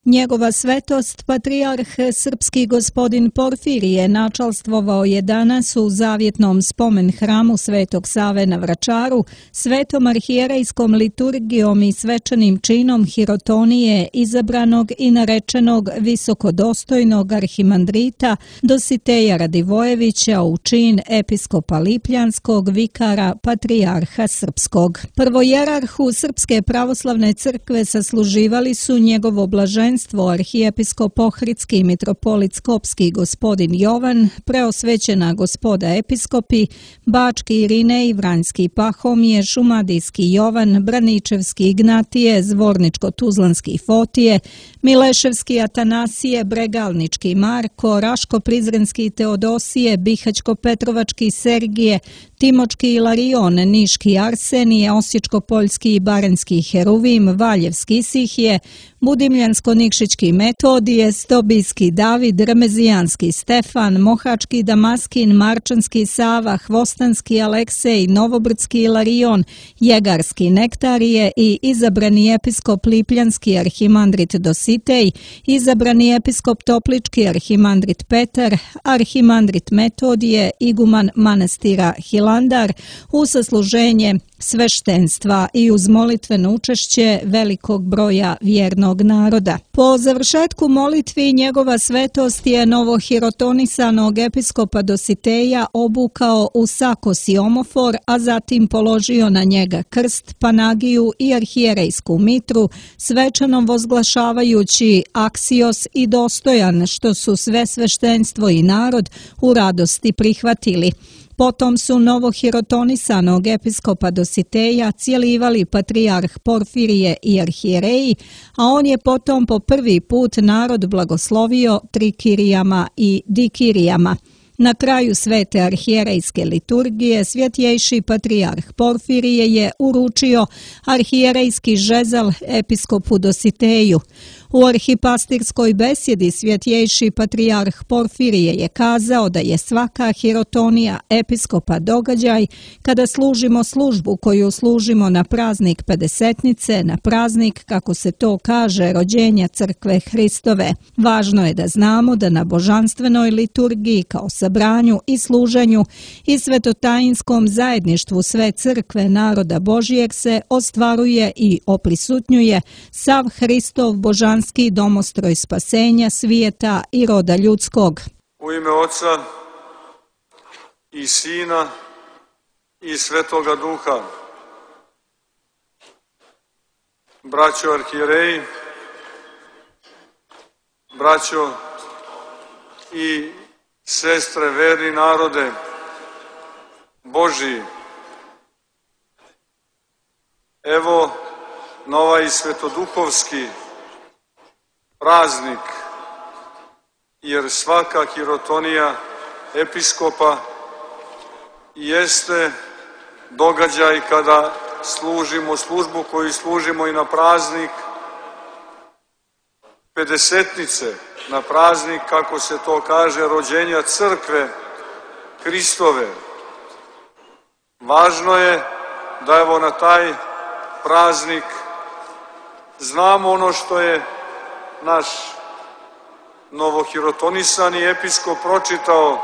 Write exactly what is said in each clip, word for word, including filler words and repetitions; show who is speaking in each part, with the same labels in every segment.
Speaker 1: Njegova svetost, patrijarh srpski gospodin Porfirije, načalstvovao je danas u zavjetnom spomen hramu Svetog Save na Vračaru, svetom arhijerejskom liturgijom i svečanim činom hirotonije izabranog i narečenog visokodostojnog arhimandrita Dositeja Radivojevića u čin episkopa Lipljanskog, vikara patrijarha srpskog. Prvojerarhu Srpske pravoslavne crkve sasluživali su njegovo blaženstvo arhijepiskop Ohridski mitropolit Skopski gospodin Jovan, preosvećena gospoda episkopi, Bački Irinej, Vranjski Pahomije, Šumadijski Jovan, Braničevski Ignatije, Zvorničko-Tuzlanski Fotije, Mileševski Atanasije, Bregalnički Marko, Raško-Prizrenski Teodosije, Bihać-Petrovački Sergije, Timočki Ilarion, Niški Arsenije, Osječko-Poljski i Baranjski Heruvim, Valjevski Sihije, Budimljansko-Nikšićki Metodije, Stobijski David, Remezijanski Stefan, Mohački Damaskin, Marčanski Sava, Hvostanski Aleksej, Novobrdski Ilarion, Jegarski Nektarije i izabrani episkop Lipljanski arhimandrit Dositej, izabrani episkop Toplički arhimandrit Petar, arhimandrit Metodije, iguman manastira Hilandar, u sasluženje sveštenstva i uz molitveno učešće velikog broja vjernog naroda. Po završetku molitvi njegova svetost je novohirotonisanog episkopa Dositeja obukao u sakos i omofor, a zatim položio na njega krst, panagiju i arhijerejsku mitru, svečano vozglašavajući aksios i dostojan, što su sve sveštenstvo i narod u radosti prihvatili. Potom su novohirotonisanog episkopa Dositeja cijelivali patrijarh Porfirije i arhijereji, a on je potom po prvi put narod blagoslovio trikirijama i dikirijama. Na kraju svete arhijerejske liturgije svjetjejši patrijarh Porfirije je uručio arhijerejski žezal episkopu Dositeju. U arhipastirskoj besjedi svjetjejši patrijarh Porfirije je kazao da je svaka hirotonija episkopa događaj kada služimo službu koju služimo na praznik Pedesetnice, na praznik, kako se to kaže, rođenja crkve Hristove. Važno je da znamo da na božanstvenoj liturgiji kao sabranju i služenju i svetotajinskom zajedništvu sve crkve naroda Božijeg se ostvaruje i oprisutnjuje sav Hristov božanstven domostroj spasenja svijeta i roda ljudskog.
Speaker 2: U ime Oca i Sina i Svetoga Duha. Braćo arhijereji, braćo i sestre, verni narode Božiji, evo na ovaj svetoduhovski praznik, jer svaka hirotonija episkopa jeste događaj kada služimo službu koju služimo i na praznik Pedesetnice, na praznik, kako se to kaže, rođenja crkve Hristove. Važno je da evo na taj praznik znamo ono što je naš novohirotonisani episkop pročitao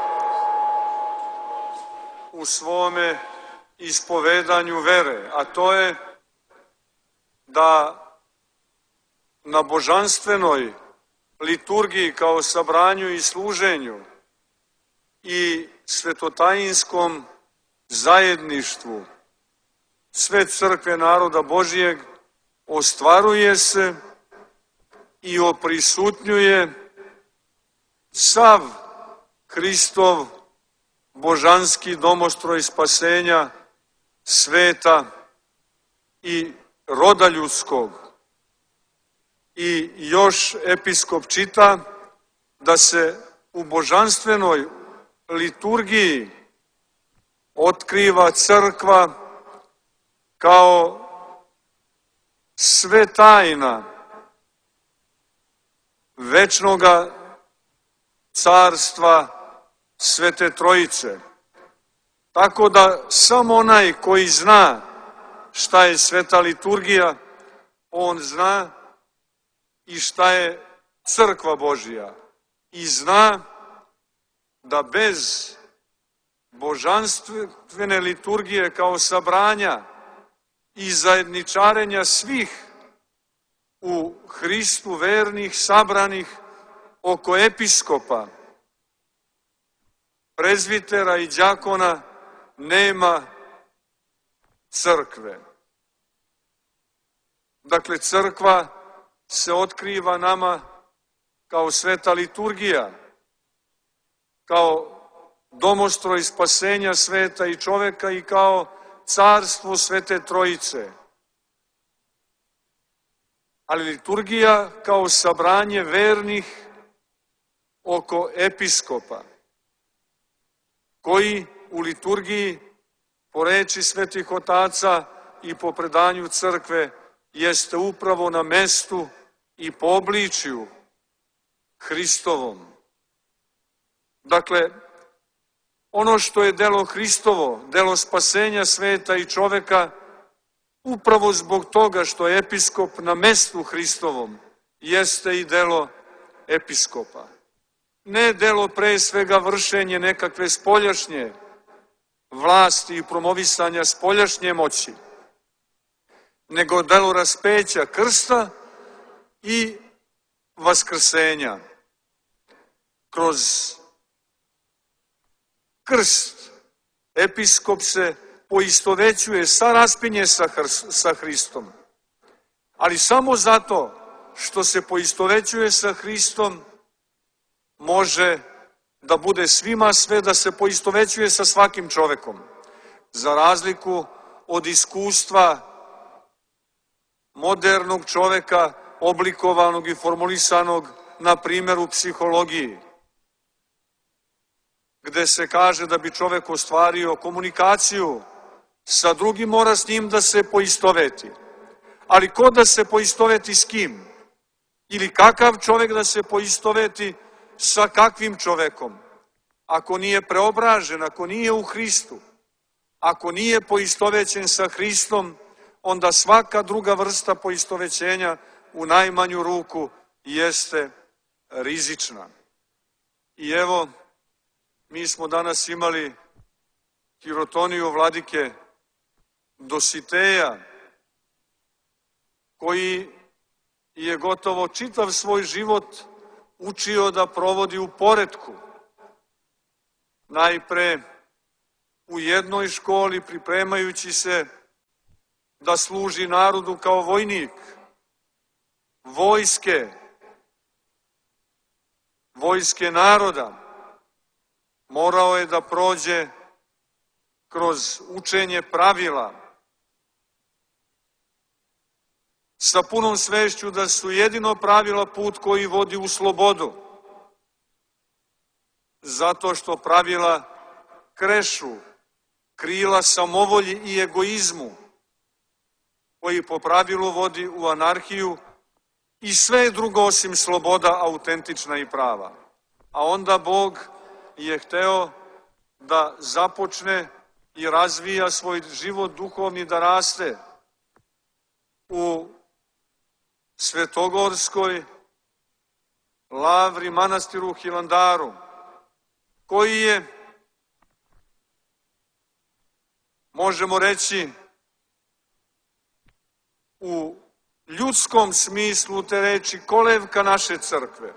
Speaker 2: u svome ispovedanju vere, a to je da na božanstvenoj liturgiji kao sabranju i služenju i svetotajinskom zajedništvu sve crkve naroda Božijeg ostvaruje se i oprisutnjuje sav Hristov božanski domostroj spasenja sveta i roda ljudskog. I još episkop čita da se u božanstvenoj liturgiji otkriva crkva kao sve tajna večnoga carstva Svete Trojice. Tako da samo onaj koji zna šta je sveta liturgija, on zna i šta je crkva Božija i zna da bez božanstvene liturgije kao sabranja i zajedničarenja svih u Hristu vernih sabranih oko episkopa, prezbitera i đakona nema crkve. Dakle, crkva se otkriva nama kao sveta liturgija, kao domostroj spasenja sveta i čoveka i kao carstvo Svete Trojice. Ali liturgija kao sabranje vernih oko episkopa, koji u liturgiji, po reči svetih otaca i po predanju crkve, jeste upravo na mestu i po obličju Hristovom. Dakle, ono što je delo Hristovo, delo spasenja sveta i čoveka, upravo zbog toga što je episkop na mestu Hristovom, jeste i delo episkopa. Ne delo pre svega vršenje nekakve spoljašnje vlasti i promovisanja spoljašnje moći, nego delo raspeća krsta i vaskrsenja. Kroz krst episkop se poistovećuje sa raspinje sa Hristom, ali samo zato što se poistovećuje sa Hristom može da bude svima sve, da se poistovećuje sa svakim čovekom, za razliku od iskustva modernog čoveka, oblikovanog i formulisanog na primjeru psihologiji, gde se kaže da bi čovek ostvario komunikaciju sa drugim, mora s njim da se poistoveti. Ali ko da se poistoveti s kim? Ili kakav čovek da se poistoveti sa kakvim čovekom? Ako nije preobražen, ako nije u Hristu, ako nije poistovećen sa Hristom, onda svaka druga vrsta poistovećenja u najmanju ruku jeste rizična. I evo, mi smo danas imali hirotoniju vladike Dositeja, koji je gotovo čitav svoj život učio da provodi u poretku. Najpre u jednoj školi, pripremajući se da služi narodu kao vojnik vojske, vojske naroda, morao je da prođe kroz učenje pravila sa punom svešću da su jedino pravila put koji vodi u slobodu, zato što pravila krešu krila samovolji i egoizmu, koji po pravilu vodi u anarhiju i sve drugo osim sloboda autentična i prava. A onda Bog je hteo da započne i razvija svoj život duhovni, da raste u Svetogorskoj lavri, manastiru Hilandaru, koji je, možemo reći, u ljudskom smislu te reči kolevka naše crkve,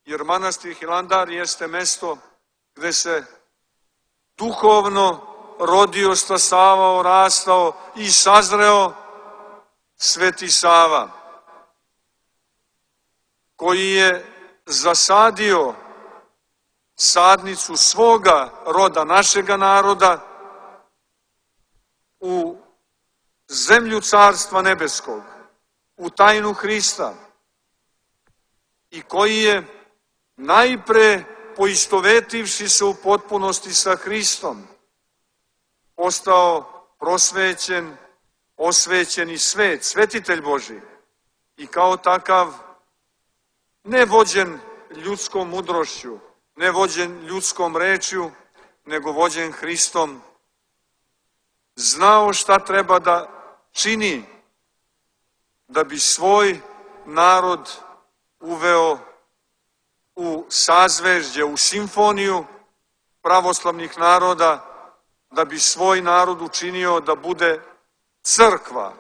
Speaker 2: jer manastir Hilandar jeste mesto gde se duhovno rodio, stasavao, rastao i sazreo Sveti Sava, koji je zasadio sadnicu svoga roda, našega naroda, u zemlju Carstva Nebeskog, u tajnu Hrista, i koji je najpre, poistovetivši se u potpunosti sa Hristom, postao prosvećen, osvećeni svet, svetitelj Božji, i kao takav ne vođen ljudskom mudrošću, ne vođen ljudskom rečju, nego vođen Hristom, znao šta treba da čini da bi svoj narod uveo sazvežđe, u simfoniju pravoslavnih naroda, da bi svoj narod učinio da bude crkva,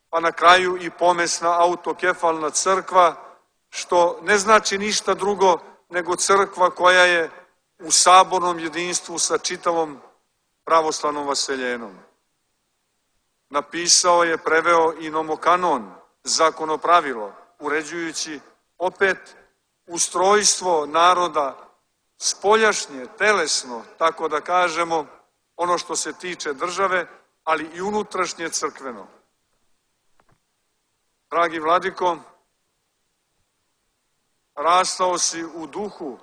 Speaker 2: pa na kraju i pomesna autokefalna crkva, što ne znači ništa drugo nego crkva koja je u sabornom jedinstvu sa čitavom pravoslavnom vaseljenom. Napisao je, preveo i nomokanon, zakonopravilo, uređujući opet ustrojstvo naroda spoljašnje, telesno, tako da kažemo, ono što se tiče države, ali i unutrašnje crkveno. Dragi vladiko, rastao si u duhu,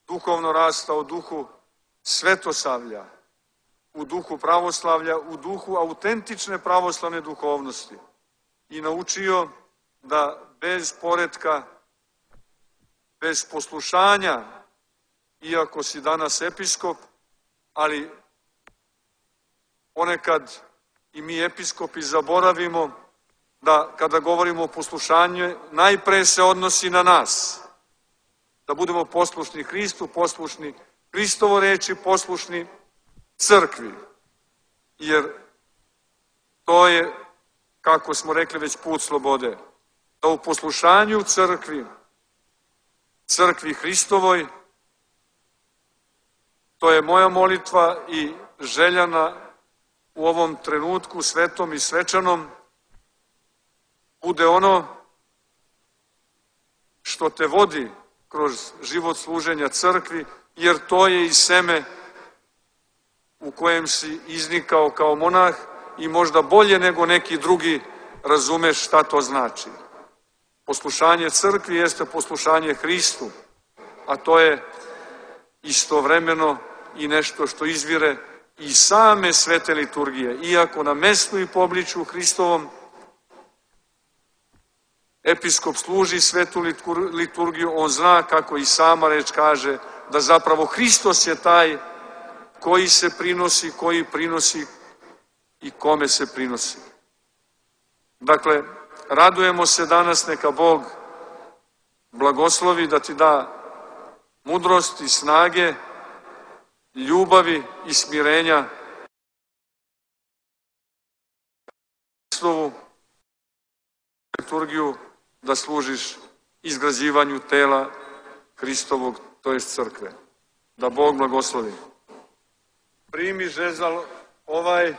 Speaker 2: duhovno rastao u duhu svetosavlja, u duhu pravoslavlja, u duhu autentične pravoslavne duhovnosti i naučio da bez poretka, bez poslušanja, iako si danas episkop, ali ponekad i mi episkopi zaboravimo da kada govorimo o poslušanju, najpre se odnosi na nas. Da budemo poslušni Hristu, poslušni Hristovo reči, poslušni crkvi. Jer to je, kako smo rekli, već put slobode. Da u poslušanju crkvi, crkvi Hristovoj, to je moja molitva i željana u ovom trenutku svetom i svečanom, bude ono što te vodi kroz život služenja crkvi, jer to je i seme u kojem si iznikao kao monah i možda bolje nego neki drugi razumeš šta to znači. Poslušanje crkvi jeste poslušanje Hristu, a to je istovremeno i nešto što izvire iz same svete liturgije. Iako na mestu i pobliču Hristovom episkop služi svetu liturgiju, on zna, kako i sama reč kaže, da zapravo Hristos je taj koji se prinosi, koji prinosi i kome se prinosi. Dakle, radujemo se danas, neka Bog blagoslovi da ti da mudrost i snage, ljubavi i smirenja Hristovu liturgiju da služiš izgrađivanju tela Hristovog, to jest crkve. Da Bog blagoslovi. Primi žezal ovaj,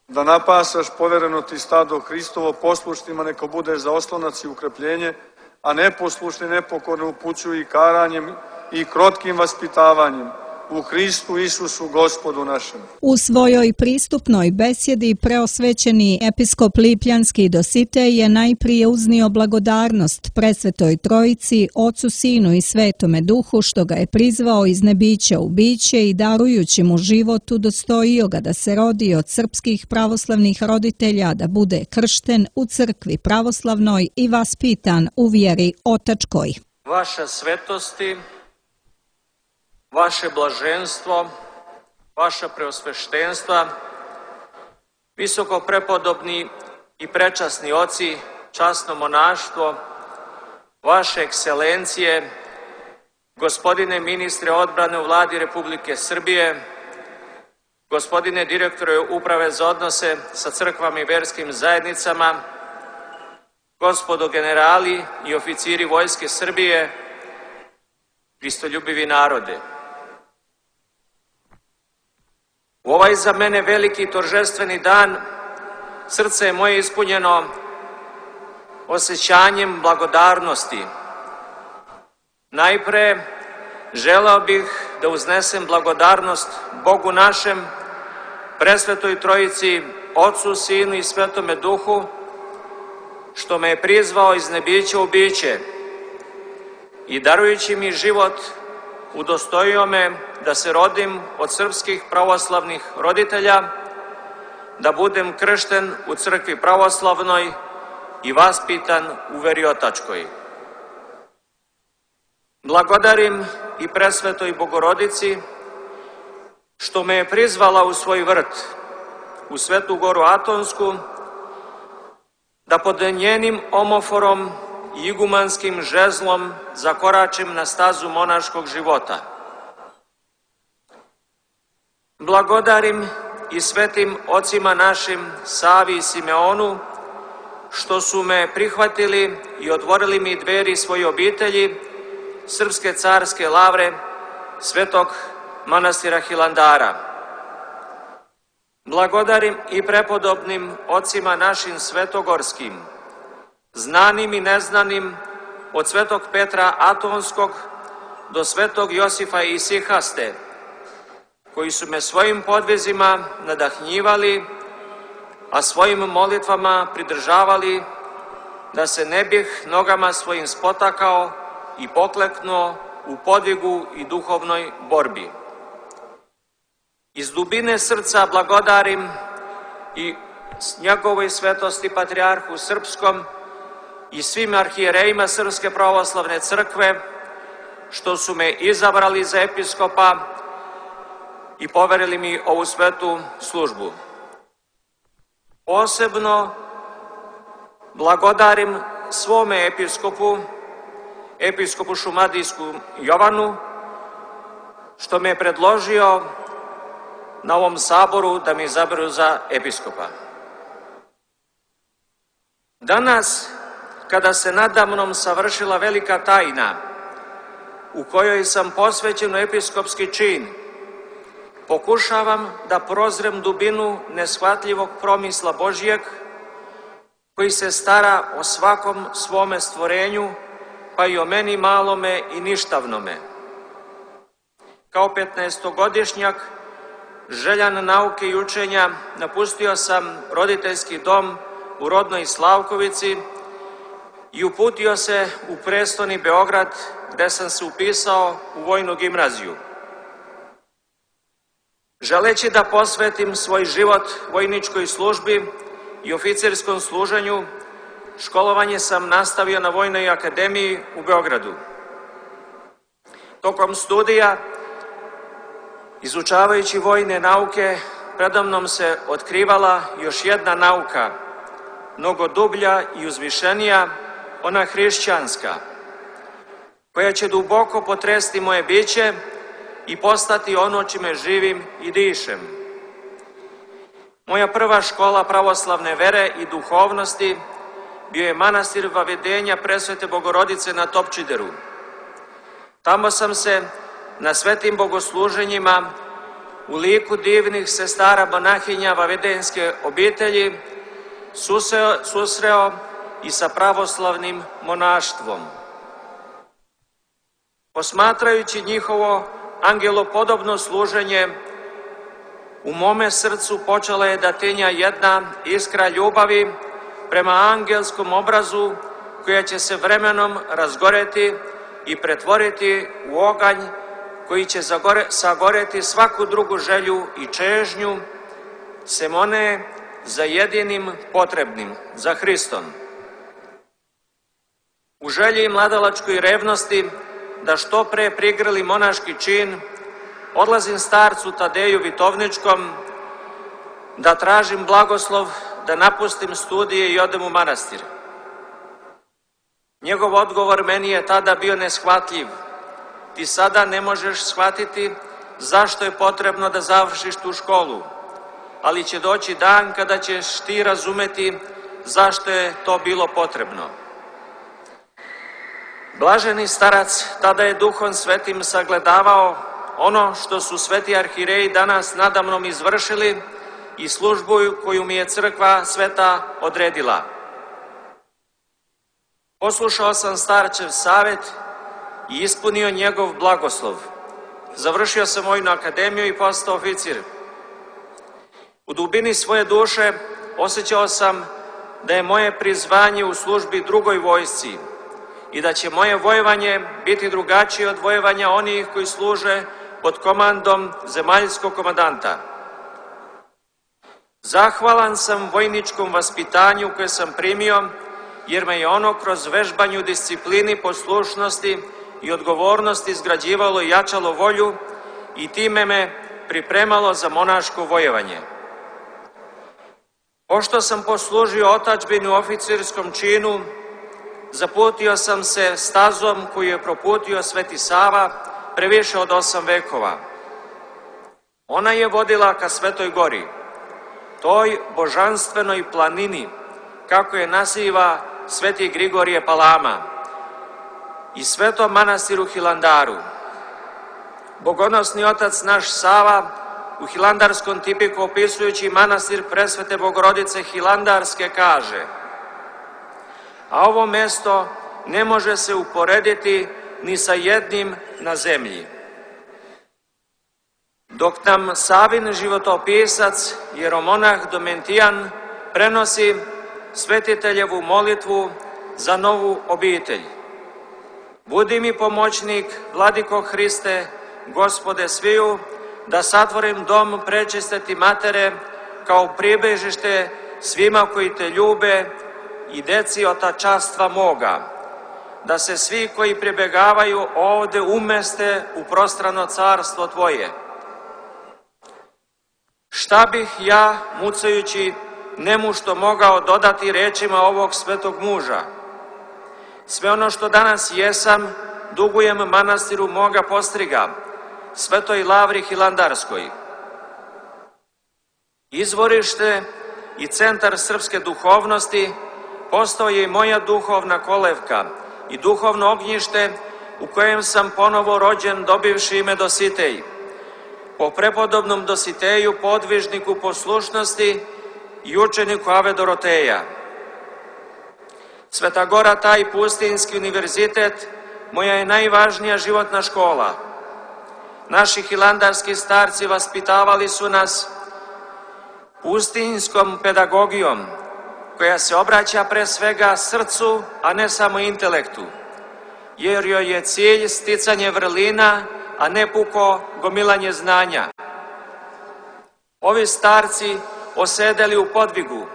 Speaker 2: da napasaš povereno ti stado Hristovo, poslušnima neka bude za oslonac i ukrepljenje, a neposlušni nepokorne upućuju i karanjem i krotkim vaspitavanjem u Hristu Isusu Gospodu našem.
Speaker 1: U svojoj pristupnoj besjedi preosvećeni episkop Lipljanski Dositej je najprije uznio blagodarnost Presvetoj Trojici, Ocu, Sinu i Svetome Duhu, što ga je prizvao iz nebića u biće i darujući mu život udostojio ga da se rodi od srpskih pravoslavnih roditelja, da bude kršten u crkvi pravoslavnoj i vaspitan u vjeri otačkoj.
Speaker 3: Vaša svetosti, vaše blaženstvo, vaša preosveštenstva, visoko prepodobni i prečasni oci, časno monaštvo, vaše ekscelencije, gospodine ministre odbrane u Vladi Republike Srbije, gospodine direktore Uprave za odnose sa crkvama i verskim zajednicama, gospodo generali i oficiri Vojske Srbije, Hristoljubivi narode. U ovaj za mene veliki toržestveni dan srce je moje ispunjeno osjećanjem blagodarnosti. Najpre želeo bih da uznesem blagodarnost Bogu našem, Presvetoj Trojici, Ocu, Sinu i Svetome Duhu, što me je prizvao iz nebića u biće i darujući mi život udostojio me da se rodim od srpskih pravoslavnih roditelja, da budem kršten u crkvi pravoslavnoj i vaspitan u veri otačkoj. Blagodarim i Presvetoj Bogorodici što me je prizvala u svoj vrt, u Svetu Goru Atonsku, da pod njenim omoforom i igumanskim žezlom zakoračim na stazu monaškog života. Blagodarim i svetim ocima našim Savi i Simeonu, što su me prihvatili i otvorili mi dveri svoje obitelji, Srpske carske lavre, Svetog manastira Hilandara. Blagodarim i prepodobnim ocima našim svetogorskim, znanim i neznanim, od Svetog Petra Atonskog do Svetog Josifa Isihaste, koji su me svojim podvizima nadahnjivali, a svojim molitvama pridržavali, da se ne bih nogama svojim spotakao i pokleknuo u podvigu i duhovnoj borbi. Iz dubine srca blagodarim i njegovoj svetosti Patrijarhu Srpskom i svim arhijerejima Srpske pravoslavne crkve, što su me izabrali za episkopa i poverili mi ovu svetu službu. Posebno blagodarim svome episkopu, episkopu šumadijskom Jovanu, što me je predložio na ovom saboru da mi izaberu za episkopa. Danas, kada se nadamnom savršila velika tajna, u kojoj sam posvećen u episkopski čin, pokušavam da prozrem dubinu neshvatljivog promisla Božijeg, koji se stara o svakom svome stvorenju, pa i o meni malome i ništavnome. Kao petnaestogodišnjak, željan nauke i učenja, napustio sam roditeljski dom u rodnoj Slavkovici i uputio se u prestoni Beograd, gde sam se upisao u vojnu gimnaziju. Želeći da posvetim svoj život vojničkoj službi i oficerskom služenju, školovanje sam nastavio na Vojnoj akademiji u Beogradu. Tokom studija, izučavajući vojne nauke, predamnom se otkrivala još jedna nauka, mnogo dublja i uzvišenija, ona hrišćanska, koja će duboko potresti moje biće i postati ono čime živim i dišem. Moja prva škola pravoslavne vere i duhovnosti bio je manastir Vavedenja Presvete Bogorodice na Topčideru. Tamo sam se na svetim bogosluženjima u liku divnih sestara monahinja vavedenske obitelji susreo, susreo i sa pravoslavnim monaštvom. Posmatrajući njihovo angelopodobno služenje, u mome srcu počela je da tinja jedna iskra ljubavi prema angelskom obrazu, koja će se vremenom razgoreti i pretvoriti u oganj koji će zagore, sagoreti svaku drugu želju i čežnju, sem one za jedinim potrebnim, za Hristom. U želji i mladalačkoj revnosti da što pre prigrli monaški čin, odlazim starcu Tadeju Vitovničkom da tražim blagoslov da napustim studije i odem u manastir. Njegov odgovor meni je tada bio neshvatljiv. Ti sada ne možeš shvatiti zašto je potrebno da završiš tu školu, ali će doći dan kada ćeš ti razumeti zašto je to bilo potrebno. Blaženi starac tada je Duhom Svetim sagledavao ono što su sveti arhijereji danas nadamnom izvršili i službu koju mi je crkva sveta odredila. Poslušao sam starčev savet i ispunio njegov blagoslov. Završio sam vojnu akademiju i postao oficir. U dubini svoje duše osjećao sam da je moje prizvanje u službi drugoj vojsci i da će moje vojevanje biti drugačije od vojevanja onih koji služe pod komandom zemaljskog komandanta. Zahvalan sam vojničkom vaspitanju koje sam primio, jer me je ono kroz vežbanju disciplini, poslušnosti i odgovornosti izgrađivalo i jačalo volju i time me pripremalo za monaško vojevanje. Pošto sam poslužio otadžbini u oficerskom činu, zaputio sam se stazom koju je proputio Sveti Sava pre više od osam vekova. Ona je vodila ka Svetoj gori, toj božanstvenoj planini, kako je naziva Sveti Grigorije Palama, i Svetom manastiru Hilandaru. Bogonosni otac naš Sava u hilandarskom tipiku opisujući manastir Presvete Bogorodice Hilandarske kaže: a ovo mesto ne može se uporediti ni sa jednim na zemlji. Dok nam Savin životopisac, jeromonah Domentijan, prenosi svetiteljevu molitvu za novu obitelj. Budi mi pomoćnik, Vladiko Hriste, Gospode sviju, da satvorim dom prečiste ti matere kao pribežište svima koji te ljube i deci otačastva moga, da se svi koji pribegavaju ovde umeste u prostrano carstvo tvoje. Šta bih ja, mucajući, nemušto mogao dodati rečima ovog svetog muža? Sve ono što danas jesam, dugujem manastiru moga postriga, Svetoj Lavri Hilandarskoj. Izvorište i centar srpske duhovnosti postao je i moja duhovna kolevka i duhovno ognjište u kojem sam ponovo rođen dobivši ime Dositej. Po prepodobnom Dositeju, podvižniku poslušnosti i učeniku Ave Doroteja. Sveta Gora, taj pustinski univerzitet, moja je najvažnija životna škola. Naši hilandarski starci vaspitavali su nas pustinskom pedagogijom, koja se obraća pre svega srcu, a ne samo intelektu, jer joj je cilj sticanje vrlina, a ne puko gomilanje znanja. Ovi starci osedeli u podvigu,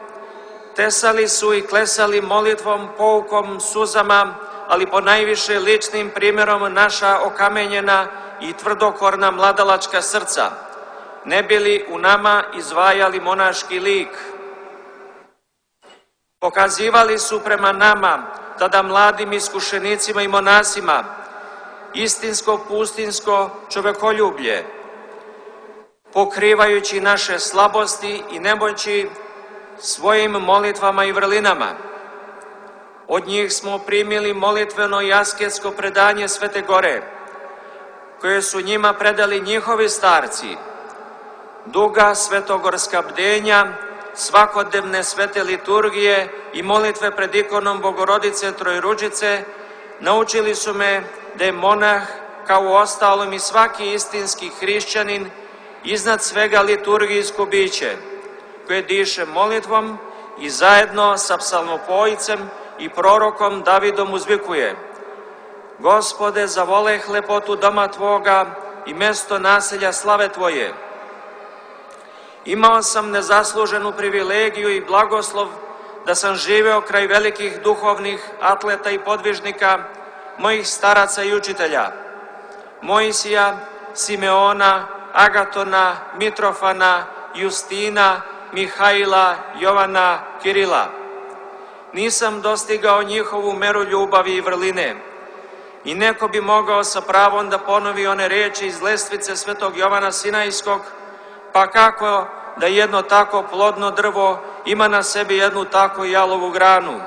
Speaker 3: tesali su i klesali molitvom, poukom, suzama, ali po najviše ličnim primjerom naša okamenjena i tvrdokorna mladalačka srca, ne bili u nama izvajali monaški lik. Pokazivali su prema nama, tada mladim iskušenicima i monasima, istinsko pustinsko čovekoljublje, pokrivajući naše slabosti i nemoći svojim molitvama i vrlinama. Od njih smo primili molitveno i asketsko predanje Svete Gore, koje su njima predali njihovi starci, duga svetogorska bdenja, svakodnevne svete liturgije i molitve pred ikonom Bogorodice Trojruđice, naučili su me da je monah, kao u ostalom i svaki istinski hrišćanin, iznad svega liturgijsko biće, koje diše molitvom i zajedno sa psalmopojicem i prorokom Davidom uzvikuje: Gospode, zavoleh lepotu doma Tvoga i mesto naselja slave Tvoje. Imao sam nezasluženu privilegiju i blagoslov da sam živeo kraj velikih duhovnih atleta i podvižnika, mojih staraca i učitelja, Mojsija, Simeona, Agatona, Mitrofana, Justina, Mihajla, Jovana, Kirila. Nisam dostigao njihovu meru ljubavi i vrline i neko bi mogao sa pravom da ponovi one reči iz lestvice svetog Jovana Sinajskog: pa kako da jedno tako plodno drvo ima na sebi jednu tako jalovu granu.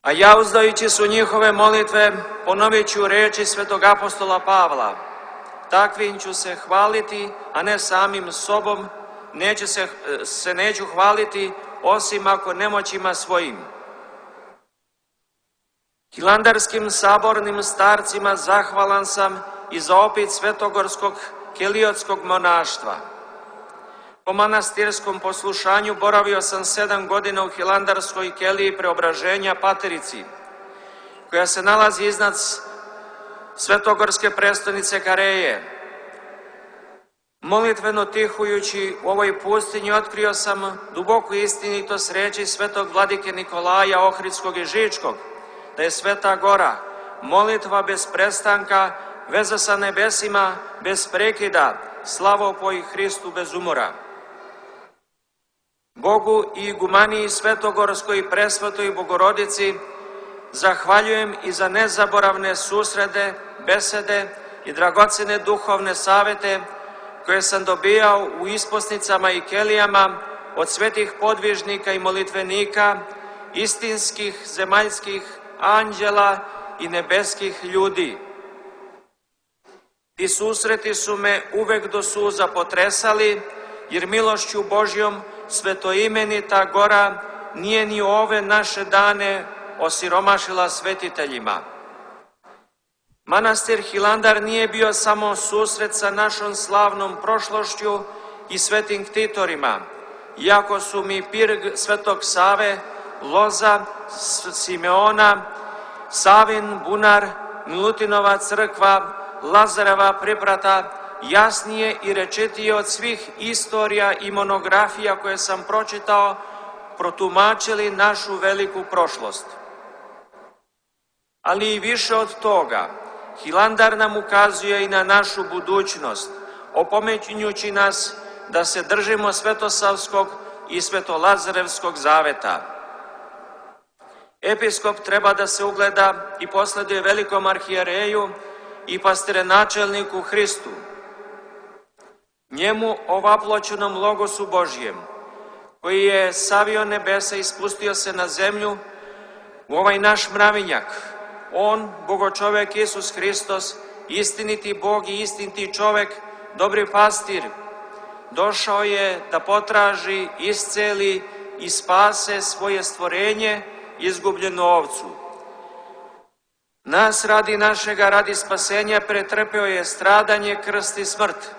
Speaker 3: A ja, uzdajući su njihove molitve, ponovit ću reči svetog apostola Pavla: takvim ću se hvaliti, a ne samim sobom, neće se, se neću hvaliti osim ako nemoćima svojim. Hilandarskim sabornim starcima zahvalan sam i za opit svetogorskog kelijotskog monaštva. Po manastirskom poslušanju boravio sam sedam godina u hilandarskoj keliji Preobraženja Paterici, koja se nalazi iznad svetogorske prestonice Kareje. Molitveno tihujući u ovoj pustinji otkrio sam duboku istinitost reči svetog vladike Nikolaja Ohridskog i Žičkog, da je Sveta Gora molitva bez prestanka, veza sa nebesima bez prekida, slavopoj Hristu bez umora. Bogu i igumaniji Svetogorskoj i Presvetoj Bogorodici zahvaljujem i za nezaboravne susrede, besede i dragocene duhovne savete koje sam dobijao u isposnicama i kelijama od svetih podvižnika i molitvenika, istinskih zemaljskih anđela i nebeskih ljudi. Ti susreti su me uvek do suza potresali, jer milošću Božjom svetoimenita gora nije ni ove naše dane osiromašila svetiteljima. Manastir Hilandar nije bio samo susret sa našom slavnom prošlošću i svetim ktitorima, iako su mi pirg Svetog Save, Loza, Simeona, Savin bunar, Milutinova crkva, Lazareva priprata jasnije i rečitije od svih istorija i monografija koje sam pročitao, protumačili našu veliku prošlost. Ali i više od toga, Hilandar nam ukazuje i na našu budućnost, opominjući nas da se držimo Svetosavskog i Svetolazarevskog zaveta. Episkop treba da se ugleda i posleduje velikom arhijereju i pastirenačelniku Hristu, njemu ovaploćenom Logosu Božjem, koji je savio nebesa i spustio se na zemlju u ovaj naš mravinjak. On, Bogočovek Isus Hristos, istiniti Bog i istiniti čovek, dobri pastir, došao je da potraži, isceli i spase svoje stvorenje, izgubljenu ovcu. Nas radi našega, radi spasenja, pretrpeo je stradanje, krst i smrt.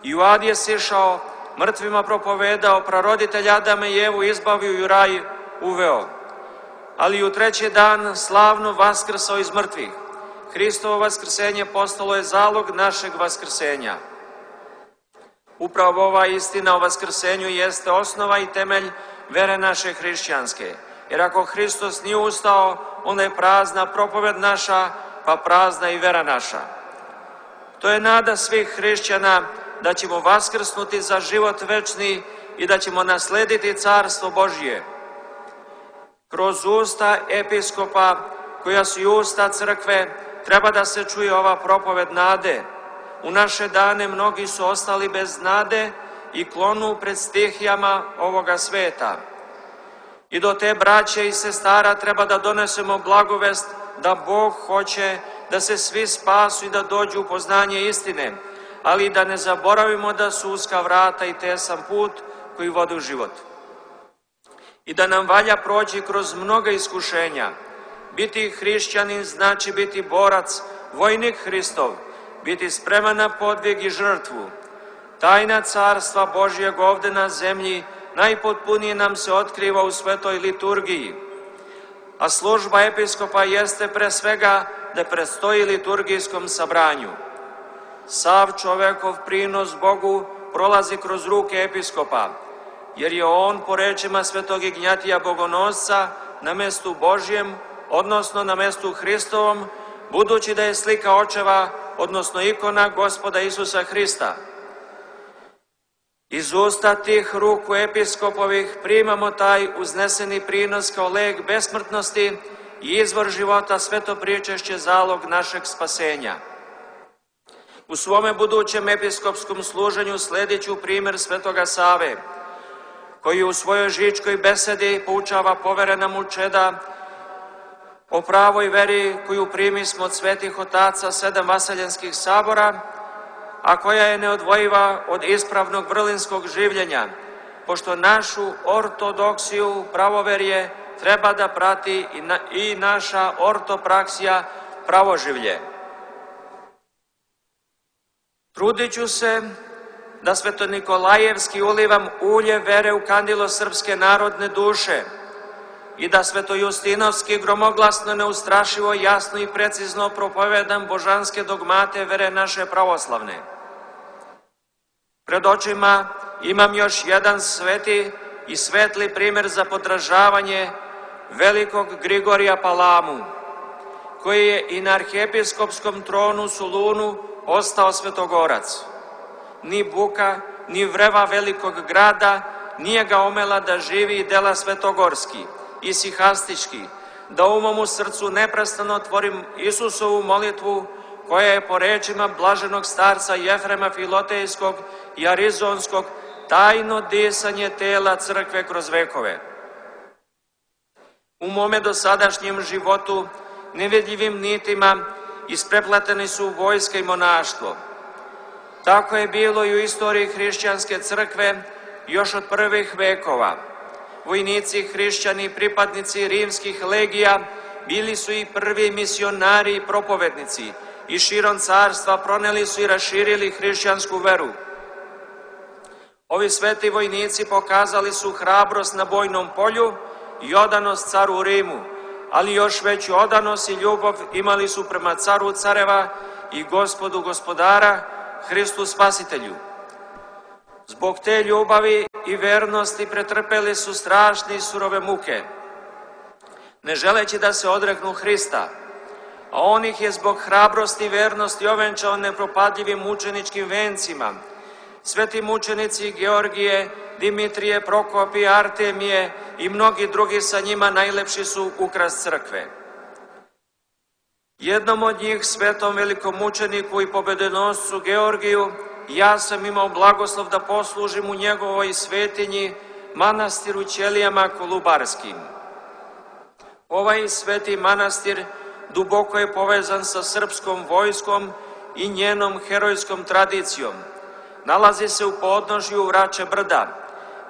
Speaker 3: I u ad je sišao, mrtvima propovedao, praroditelj Adama i Evu izbavio i u raj uveo. Ali u treći dan slavno vaskrsao iz mrtvih. Hristovo vaskrsenje postalo je zalog našeg vaskrsenja. Upravo ova istina o vaskrsenju jeste osnova i temelj vere naše hrišćanske. Jer ako Hristos nije ustao, onda je prazna propoved naša, pa prazna i vera naša. To je nada svih hrišćana da ćemo vaskrsnuti za život večni i da ćemo naslediti Carstvo Božje. Kroz usta episkopa, koja su i usta crkve, treba da se čuje ova propoved nade. U naše dane mnogi su ostali bez nade i klonu pred stihijama ovoga sveta. I do te braće i sestara treba da donesemo blagovest da Bog hoće da se svi spasu i da dođu u poznanje istine, ali da ne zaboravimo da su uska vrata i tesan put koji vodi u život. I da nam valja proći kroz mnoga iskušenja. Biti hrišćanin znači biti borac, vojnik Hristov, biti spreman na podvig i žrtvu. Tajna Carstva Božjeg ovde na zemlji najpotpunije nam se otkriva u svetoj liturgiji. A služba episkopa jeste pre svega da predstoji liturgijskom sabranju. Sav čovekov prinos Bogu prolazi kroz ruke episkopa, jer je on, po rečima svetog Ignjatija Bogonosca, na mestu Božjem, odnosno na mestu Hristovom, budući da je slika očeva, odnosno ikona Gospoda Isusa Hrista. Iz usta tih ruku episkopovih primamo taj uzneseni prinos kao lek besmrtnosti i izvor života, sveto pričešće, zalog našeg spasenja. U svome budućem episkopskom služenju sledit ću primer Svetoga Save, koji u svojoj žičkoj besedi poučava poverena mu čeda o pravoj veri koju primismo od svetih otaca sedam vaseljenskih sabora, a koja je neodvojiva od ispravnog vrlinskog življenja, pošto našu ortodoksiju, pravoverje, treba da prati i, na, i naša ortopraksija, pravoživlje. Trudit ću se da svetonikolajevski ulivam ulje vere u kandilo srpske narodne duše i da svetojustinovski gromoglasno, neustrašivo, jasno i precizno propovedam božanske dogmate vere naše pravoslavne. Pred očima imam još jedan sveti i svetli primer za podražavanje velikog Grigorija Palamu, koji je i na arhiepiskopskom tronu Solunu ostao svetogorac. Ni buka, ni vreva velikog grada nije ga omela da živi dela svetogorski i sihastički, da u mom srcu neprestano tvorim Isusovu molitvu, koja je po rečima blaženog starca Jefrema Filotejskog i Arizonskog tajno disanje tela crkve kroz vekove. U mome dosadašnjem životu nevidljivim nitima isprepleteni su vojska i monaštvo. Tako je bilo i u istoriji hrišćanske crkve još od prvih vekova. Vojnici, hrišćani, pripadnici rimskih legija bili su i prvi misionari i propovednici i širom carstva proneli su i raširili hrišćansku veru. Ovi sveti vojnici pokazali su hrabrost na bojnom polju i odanost caru u Rimu, ali još veću odanost i ljubav imali su prema caru careva i gospodu gospodara, Hristu Spasitelju. Zbog te ljubavi i vernosti pretrpeli su strašne i surove muke, ne želeći da se odreknu Hrista, a on ih je zbog hrabrosti i vernosti ovenčao nepropadljivim mučeničkim vencima. Sveti mučenici Georgije, Dimitrije, Prokopije, Artemije i mnogi drugi sa njima najlepši su ukras crkve. Jednom od njih, svetom velikom mučeniku i pobedonoscu Georgiju, ja sam imao blagoslov da poslužim u njegovoj svetinji, manastiru Ćelijama Kolubarskim. Ovaj sveti manastir duboko je povezan sa srpskom vojskom i njenom herojskom tradicijom. Nalazi se u podnožju Vrače brda,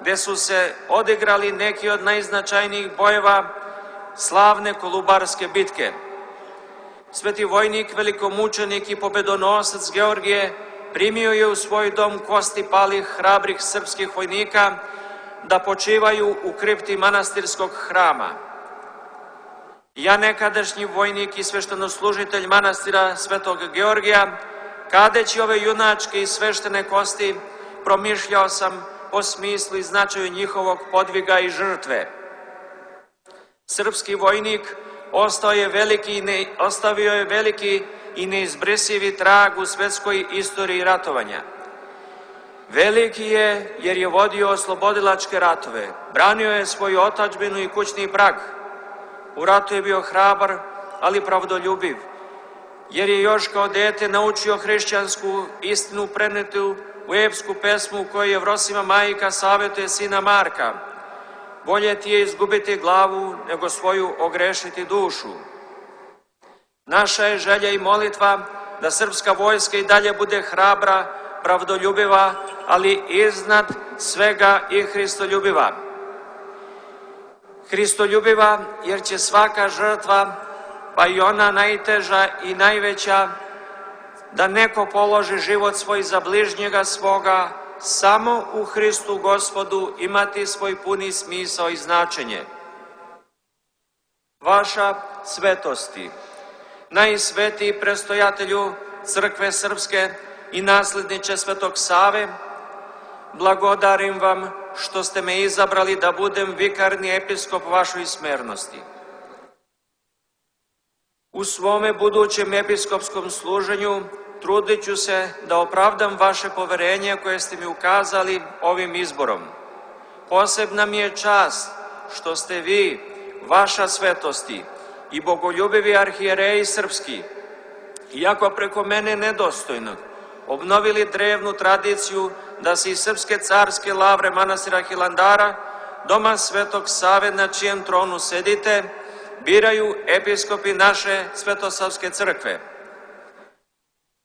Speaker 3: gde su se odigrali neki od najznačajnijih bojeva slavne Kolubarske bitke. Sveti vojnik, velikomučenik i pobedonosac Georgije primio je u svoj dom kosti palih hrabrih srpskih vojnika da počivaju u kripti manastirskog hrama. Ja, nekadašnji vojnik i sveštenoslužitelj manastira Svetog Georgija, kadeći ove junačke i sveštene kosti, promišljao sam o smislu i značaju njihovog podviga i žrtve. Srpski vojnik ostao je veliki, ne, ostavio je veliki i neizbrisivi trag u svetskoj istoriji ratovanja. Veliki je jer je vodio oslobodilačke ratove, branio je svoju otadžbinu i kućni prag. U ratu je bio hrabar, ali pravdoljubiv, jer je još kao dete naučio hrišćansku istinu prenitu u epsku pesmu u kojoj Jevrosima majka savjetuje sina Marka: bolje ti je izgubiti glavu nego svoju ogrešiti dušu. Naša je želja i molitva da srpska vojska i dalje bude hrabra, pravdoljubiva, ali iznad svega i hristoljubiva. Hristoljubiva jer će svaka žrtva, pa i ona najteža i najveća, da neko položi život svoj za bližnjega svoga, samo u Hristu Gospodu imati svoj puni smisao i značenje. Vaša svetosti, najsvetiji prestojatelju Crkve Srpske i nasledniče Svetog Save, blagodarim vam što ste me izabrali da budem vikarni episkop vašoj smernosti. U svome budućem episkopskom služenju trudit ću se da opravdam vaše poverenje koje ste mi ukazali ovim izborom. Posebna mi je čast što ste vi, vaša svetosti i bogoljubivi arhijereji srpski, iako preko mene nedostojno, obnovili drevnu tradiciju da se iz srpske carske lavre manastira Hilandara, doma Svetog Save na čijem tronu sedite, biraju episkopi naše Svetosavske crkve.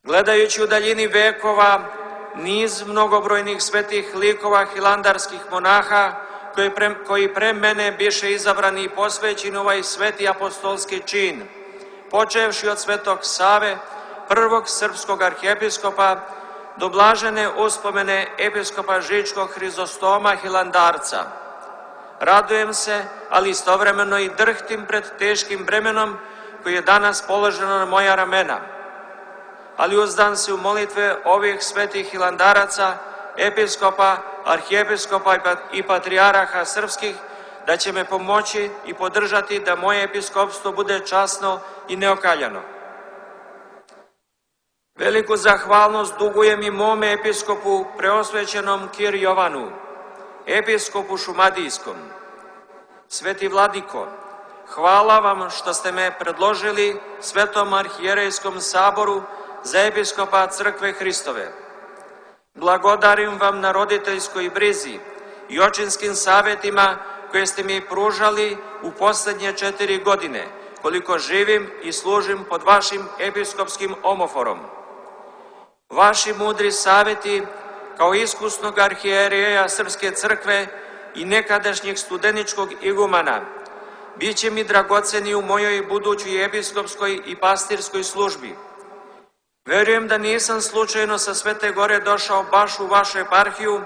Speaker 3: Gledajući u daljini vekova niz mnogobrojnih svetih likova hilandarskih monaha koji pre, koji pre mene biše izabrani i posvećeni ovaj sveti apostolski čin, počevši od Svetog Save, prvog srpskog arhijepiskopa, do blažene uspomene episkopa Žičkog Hrizostoma Hilandarca. Radujem se, ali istovremeno i drhtim pred teškim bremenom koji je danas položeno na moja ramena. Ali uzdan se u molitve ovih svetih hilandaraca, episkopa, arhijepiskopa i patrijaraha srpskih, da će me pomoći i podržati da moje episkopstvo bude časno i neokaljano. Veliku zahvalnost dugujem i mome episkopu preosvećenom Kir Jovanu, episkopu Šumadijskom. Sveti Vladiko, hvala vam što ste me predložili Svetom arhijerejskom saboru za episkopa Crkve Hristove. Blagodarim vam na roditeljskoj brizi i očinskim savjetima koje ste mi pružali u posljednje četiri godine, koliko živim i služim pod vašim episkopskim omoforom. Vaši mudri savjeti, kao iskusnog arhijereja Srpske crkve i nekadašnjeg studeničkog igumana, bit će mi dragoceni u mojoj budućoj episkopskoj i pastirskoj službi. Verujem da nisam slučajno sa Svete Gore došao baš u vašu eparhiju,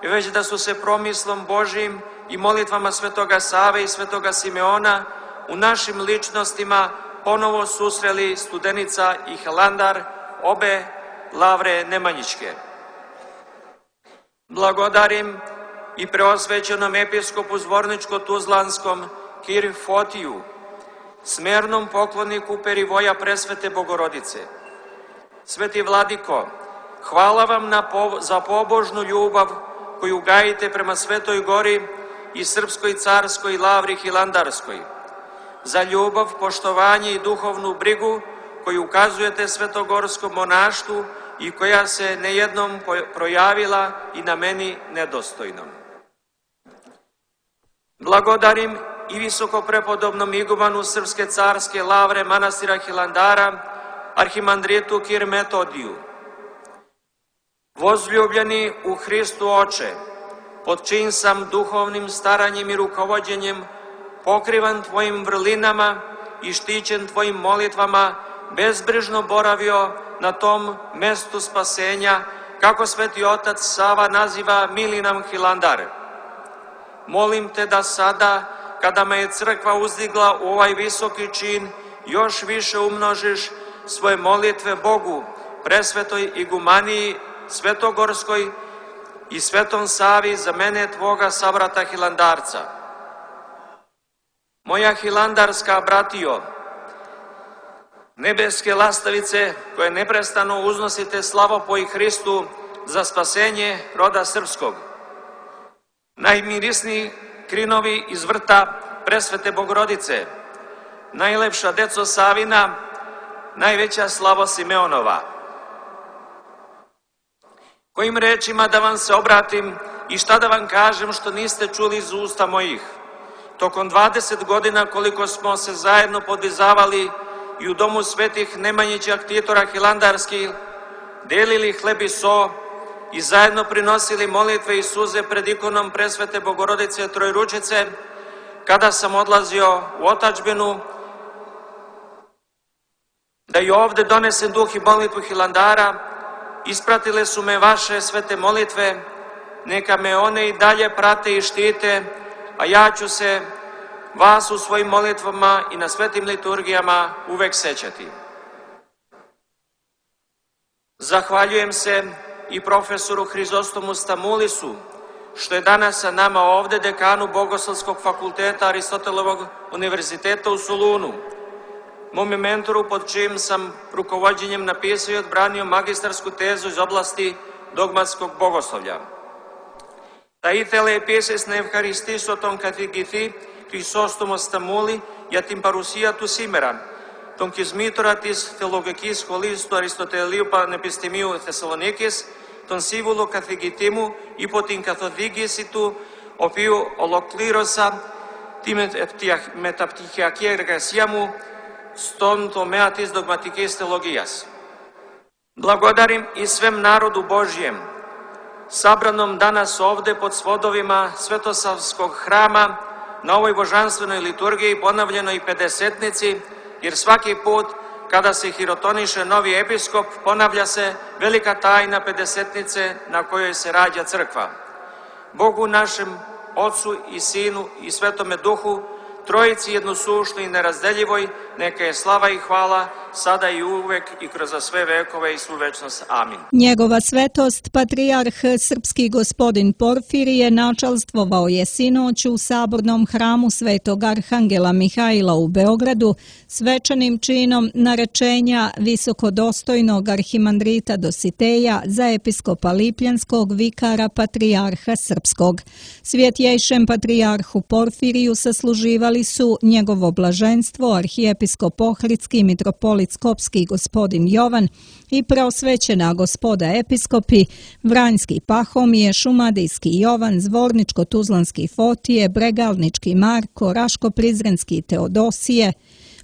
Speaker 3: već da su se promislom Božijim i molitvama Svetoga Save i Svetoga Simeona u našim ličnostima ponovo susreli Studenica i Hilandar, obe lavre Nemanjićke. Blagodarim i preosvećenom episkopu Zvorničko-Tuzlanskom Kir Fotiju, smernom pokloniku Perivoja Presvete Bogorodice. Sveti Vladiko, hvala vam na po, za pobožnu ljubav koju gajite prema Svetoj Gori i Srpskoj carskoj lavri Hilandarskoj, za ljubav, poštovanje i duhovnu brigu koju ukazujete svetogorskom monaštvu i koja se nejednom projavila i na meni nedostojnom. Blagodarim i visokoprepodobnom igumanu Srpske carske lavre manastira Hilandara, arhimandritu Kir Metodiju. Vozljubljeni u Hristu Oče, pod čijim sam duhovnim staranjem i rukovođenjem pokrivan tvojim vrlinama i štićen tvojim molitvama, bezbrižno boravio na tom mestu spasenja, kako Sveti Otac Sava naziva mili nam Hilandar. Molim te da sada, kada me je crkva uzdigla u ovaj visoki čin, još više umnožiš svoje molitve Bogu, presvetoj igumaniji, Svetogorskoj i Svetom Savi za mene, tvoga sabrata Hilandarca. Moja hilandarska bratio, nebeske lastavice koje neprestano uznosite slavopoj Hristu za spasenje roda srpskog. Najmirisniji krinovi iz vrta Presvete Bogorodice, najlepša deco Savina, najveća slavo Simeonova. Kojim rečima da vam se obratim i šta da vam kažem što niste čuli iz usta mojih? Tokom dvadeset godina koliko smo se zajedno podizavali i u domu svetih Nemanjića Ktitora Hilandarskih, delili hleb i so i zajedno prinosili molitve i suze pred ikonom Presvete Bogorodice Trojručice, kada sam odlazio u otadžbinu, da i ovde donesem duh i molitvu Hilandara, ispratile su me vaše svete molitve, neka me one i dalje prate i štite, a ja ću se vas u svojim molitvama i na svetim liturgijama uvek sećati. Zahvaljujem se i profesoru Hrizostomu Stamulisu, što je danas sa nama ovde, dekanu Bogoslovskog fakulteta Aristotelovog univerziteta u Solunu, mome mentoru pod čijim sam rukovođenjem napisao i odbranio magistarsku tezu iz oblasti dogmatskog bogoslovlja. Τα ήθελε επίσης να ευχαριστήσω τον καθηγητή Χρυσόστομο Σταμούλη για την παρουσία του σήμερα, τον κισμήτωρα της Θεολογικής Σχολής του Αριστοτελείου Πανεπιστημίου Θεσσαλονίκης, τον σύμβουλο καθηγητή μου υπό την καθοδήγηση του, οποίου ολοκλήρωσα τη μεταπτυχιακή εργασία μου στον τομέα της δογματικής θεολογίας. Благодарим i svem narodu Božjem, sabranom danas ovde pod svodovima Svetosavskog hrama na ovoj božanstvenoj liturgiji ponavljenoj pedesetnici, jer svaki put kada se hirotoniše novi episkop ponavlja se velika tajna pedesetnice na kojoj se rađa crkva. Bogu našem, Otcu i Sinu i Svetome Duhu, Trojici jednosušnoj i nerazdeljivoj, neka je slava i hvala, sada i uvek i kroz sve vekove i svu večnost. Amin.
Speaker 1: Njegova svetost, patrijarh srpski gospodin Porfirije, načalstvovao je sinoć u sabornom hramu Svetog Arhangela Mihajla u Beogradu svečanim činom narečenja visokodostojnog arhimandrita Dositeja za episkopa Lipljanskog vikara patrijarha srpskog. Svjetjejšem patrijarhu Porfiriju sasluživali su njegovo blaženstvo arhijepiskop Ohridski mitropolit Skopski gospodin Jovan i preosvećena gospoda episkopi Vranjski Pahomije, Šumadijski Jovan, Zvorničko-Tuzlanski Fotije, Bregalnički Marko, Raško-Prizrenski Teodosije,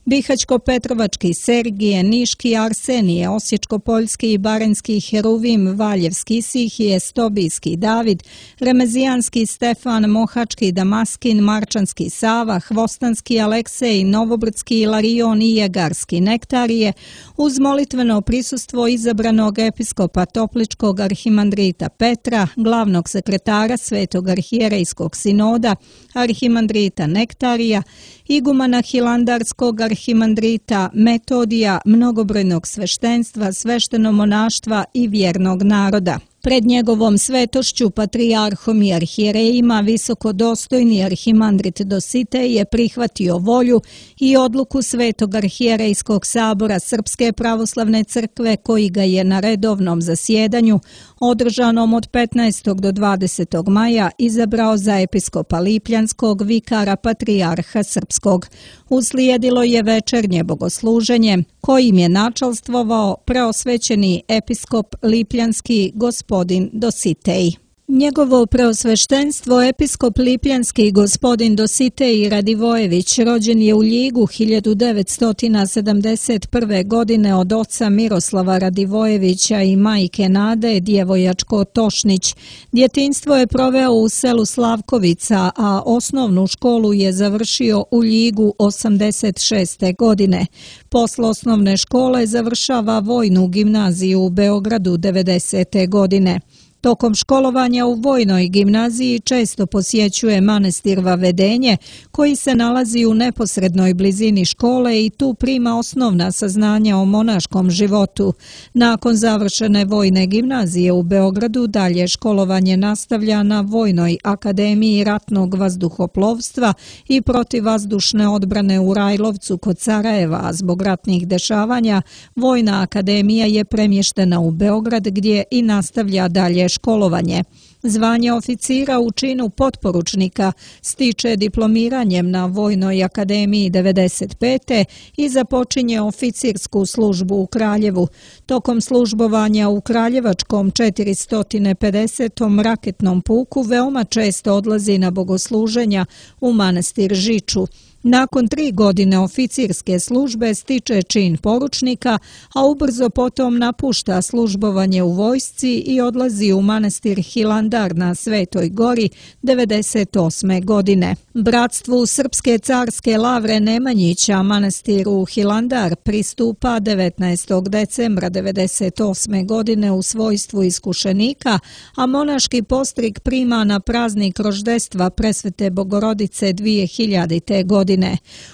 Speaker 1: Bihać-Petrovački Sergije, Niški Arsenije, Osječko-Poljski i Baranjski Heruvim, Valjevski Sihije, Stobijski David, Remezijanski Stefan, Mohački Damaskin, Marčanski Sava, Hvostanski Aleksej, Novobrdski Ilarion i Jegarski Nektarije, uz molitveno prisustvo izabranog episkopa Topličkog arhimandrita Petra, glavnog sekretara Svetog arhijerejskog sinoda, arhimandrita Nektarija, igumana Hilandarskog arhimandrita Metodija, mnogobrojnog sveštenstva, sveštenomonaštva i vjernog naroda. Pred njegovom svetošću, patrijarhom i arhijerejima, visokodostojni arhimandrit Dositej je prihvatio volju i odluku Svetog arhijerejskog sabora Srpske pravoslavne crkve koji ga je na redovnom zasjedanju, održanom od petnaestog do dvadesetog maja, izabrao za episkopa Lipljanskog vikara patrijarha srpskog. Uslijedilo je večernje bogosluženje kojim je načalstvovao preosvećeni episkop Lipljanski gospodin Dositej. Njegovo preosveštenstvo episkop Lipljanski gospodin Dositej Radivojević rođen je u Ljigu hiljadu devetsto sedamdeset prve. godine od oca Miroslava Radivojevića i majke Nade Djevojačko Tošnić. Djetinjstvo je proveo u selu Slavkovica, a osnovnu školu je završio u Ljigu osamdeset šeste. godine. Posle osnovne škole završava vojnu gimnaziju u Beogradu devedesete. godine. Tokom školovanja u vojnoj gimnaziji često posjećuje manastir Vavedenje, koji se nalazi u neposrednoj blizini škole i tu prima osnovna saznanja o monaškom životu. Nakon završene vojne gimnazije u Beogradu dalje školovanje nastavlja na Vojnoj akademiji ratnog vazduhoplovstva i protivvazdušne odbrane u Rajlovcu kod Sarajeva, a zbog ratnih dešavanja Vojna akademija je premještena u Beograd gdje i nastavlja dalje školovanje. Zvanje oficira u činu potporučnika stiče diplomiranjem na Vojnoj akademiji devedeset pete. i započinje oficirsku službu u Kraljevu. Tokom službovanja u Kraljevačkom četiristo pedesetom raketnom puku veoma često odlazi na bogosluženja u manastir Žiču. Nakon tri godine oficirske službe stiče čin poručnika, a ubrzo potom napušta službovanje u vojsci i odlazi u manastir Hilandar na Svetoj gori devedeset osme. godine. Bratstvu Srpske carske Lavre Nemanjića manastiru Hilandar pristupa devetnaestog decembra devedeset osme. godine u svojstvu iskušenika, a monaški postrig prima na praznik roždestva Presvete Bogorodice dvije hiljadite. godine.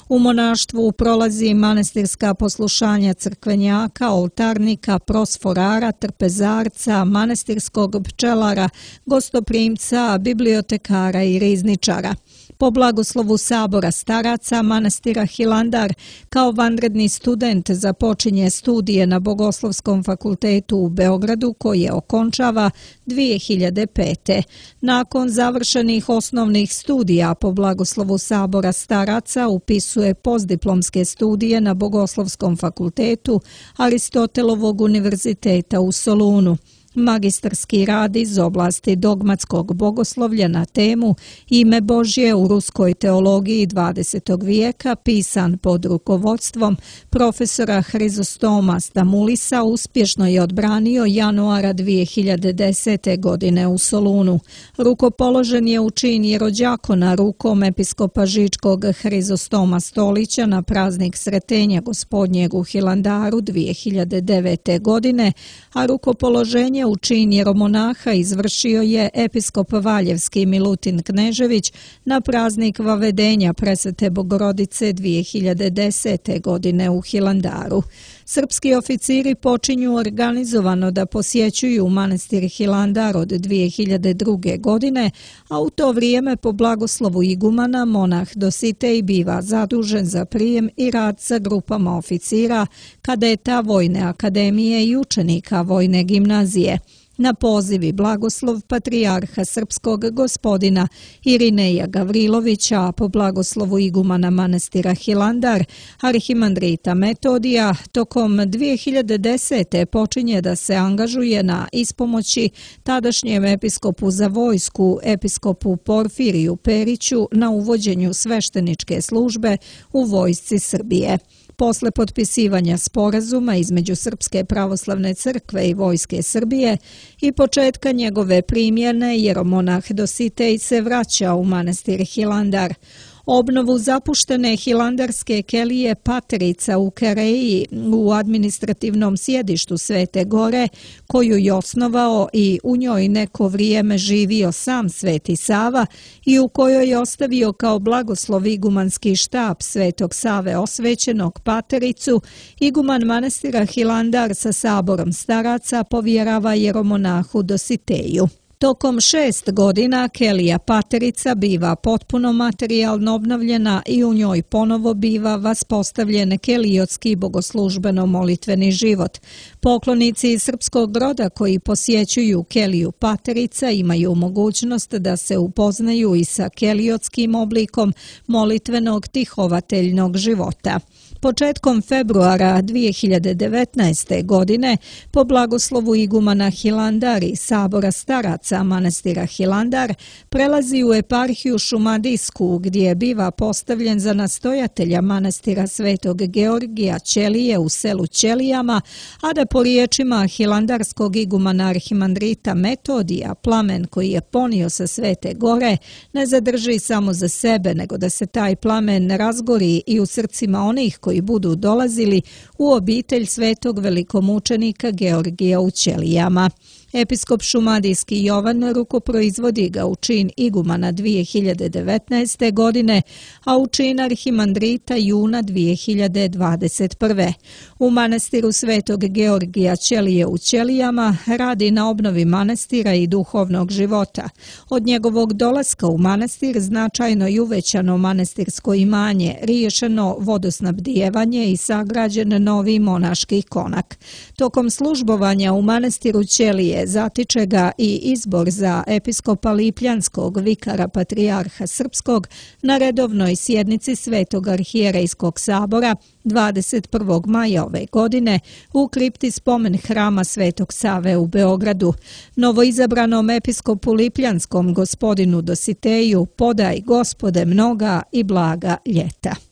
Speaker 1: U monaštvu prolazi manastirska poslušanja crkvenjaka, oltarnika, prosforara, trpezarca, manastirskog pčelara, gostoprimca, bibliotekara i rizničara. Po blagoslovu sabora staraca manastira Hilandar kao vanredni student započinje studije na Bogoslovskom fakultetu u Beogradu koje okončava dvije hiljade pete. Nakon završenih osnovnih studija po blagoslovu sabora staraca upisuje postdiplomske studije na Bogoslovskom fakultetu Aristotelovog univerziteta u Solunu. Magistarski rad iz oblasti dogmatskog bogoslovlja na temu Ime Božje u ruskoj teologiji dvadesetog vijeka, pisan pod rukovodstvom profesora Hrizostoma Stamulisa, uspješno je odbranio januara dvije hiljade desete. godine u Solunu. Rukopoložen je u čin jerođakona rukom episkopa Žičkog Hrizostoma Stolića na praznik Sretenja Gospodnjeg u Hilandaru dvije hiljade devete. godine, a rukopoloženje posvećenje u čin jeromonaha izvršio je episkop Valjevski Milutin Knežević na praznik Vavedenja Presvete Bogorodice dvije hiljade desete. godine u Hilandaru. Srpski oficiri počinju organizovano da posjećuju manastir Hilandar od dvije hiljade druge. godine, a u to vrijeme po blagoslovu igumana monah Dositej biva zadužen za prijem i rad sa grupama oficira, kadeta Vojne akademije i učenika Vojne gimnazije. Na poziv i blagoslov patrijarha srpskog gospodina Irineja Gavrilovića, a po blagoslovu igumana manastira Hilandar, arhimandrita Metodija, tokom dvije hiljade desete. počinje da se angažuje na ispomoći tadašnjem episkopu za vojsku, episkopu Porfiriju Periću, na uvođenju svešteničke službe u vojsci Srbije. Posle potpisivanja sporazuma između Srpske pravoslavne crkve i Vojske Srbije i početka njegove primjene, jeromonah Dositej se vraća u manastir Hilandar. Obnovu zapuštene hilandarske kelije Paterica u Kereji u administrativnom sjedištu Svete Gore, koju je osnovao i u njoj neko vrijeme živio sam Sveti Sava i u kojoj je ostavio kao blagoslov igumanski štab Svetog Save osvećenog Patericu, iguman manastira Hilandar sa saborom staraca povjerava jeromonahu Dositeju. Tokom šest godina kelija Paterica biva potpuno materijalno obnovljena i u njoj ponovo biva vaspostavljen kelijotski bogoslužbeno-molitveni život. Poklonici iz srpskog roda koji posjećuju keliju Paterica imaju mogućnost da se upoznaju i sa kelijotskim oblikom molitvenog tihovateljnog života. Početkom februara dvije hiljade devetnaeste. godine po blagoslovu igumana Hilandar i sabora staraca manastira Hilandar prelazi u eparhiju Šumadijsku, gdje biva postavljen za nastojatelja manastira Svetog Georgija Ćelije u selu Ćelijama, a da po riječima hilandarskog igumana arhimandrita Metodija plamen koji je ponio sa Svete Gore ne zadrži samo za sebe, nego da se taj plamen razgori i u srcima onih koji budu dolazili u obitelj svetog velikomučenika Georgija u Ćelijama. Episkop šumadijski Jovan rukoproizvodi ga u čin igumana dvije hiljade devetnaeste. godine, a u čin arhimandrita juna dvije hiljade dvadeset prve. U manastiru Svetog Georgija Ćelije u Ćelijama radi na obnovi manastira i duhovnog života. Od njegovog dolaska u manastir značajno i uvećano manastirsko imanje, riješeno vodosnabdijevanje i sagrađen novi monaški konak. Tokom službovanja u manastiru Ćelije zatiče ga i izbor za episkopa Lipljanskog, vikara patrijarha srpskog, na redovnoj sjednici Svetog arhijerejskog sabora dvadeset prvog maja ove godine u kripti spomen hrama Svetog Save u Beogradu. Novoizabranom episkopu Lipljanskom gospodinu Dositeju podaj, Gospode, mnoga i blaga ljeta.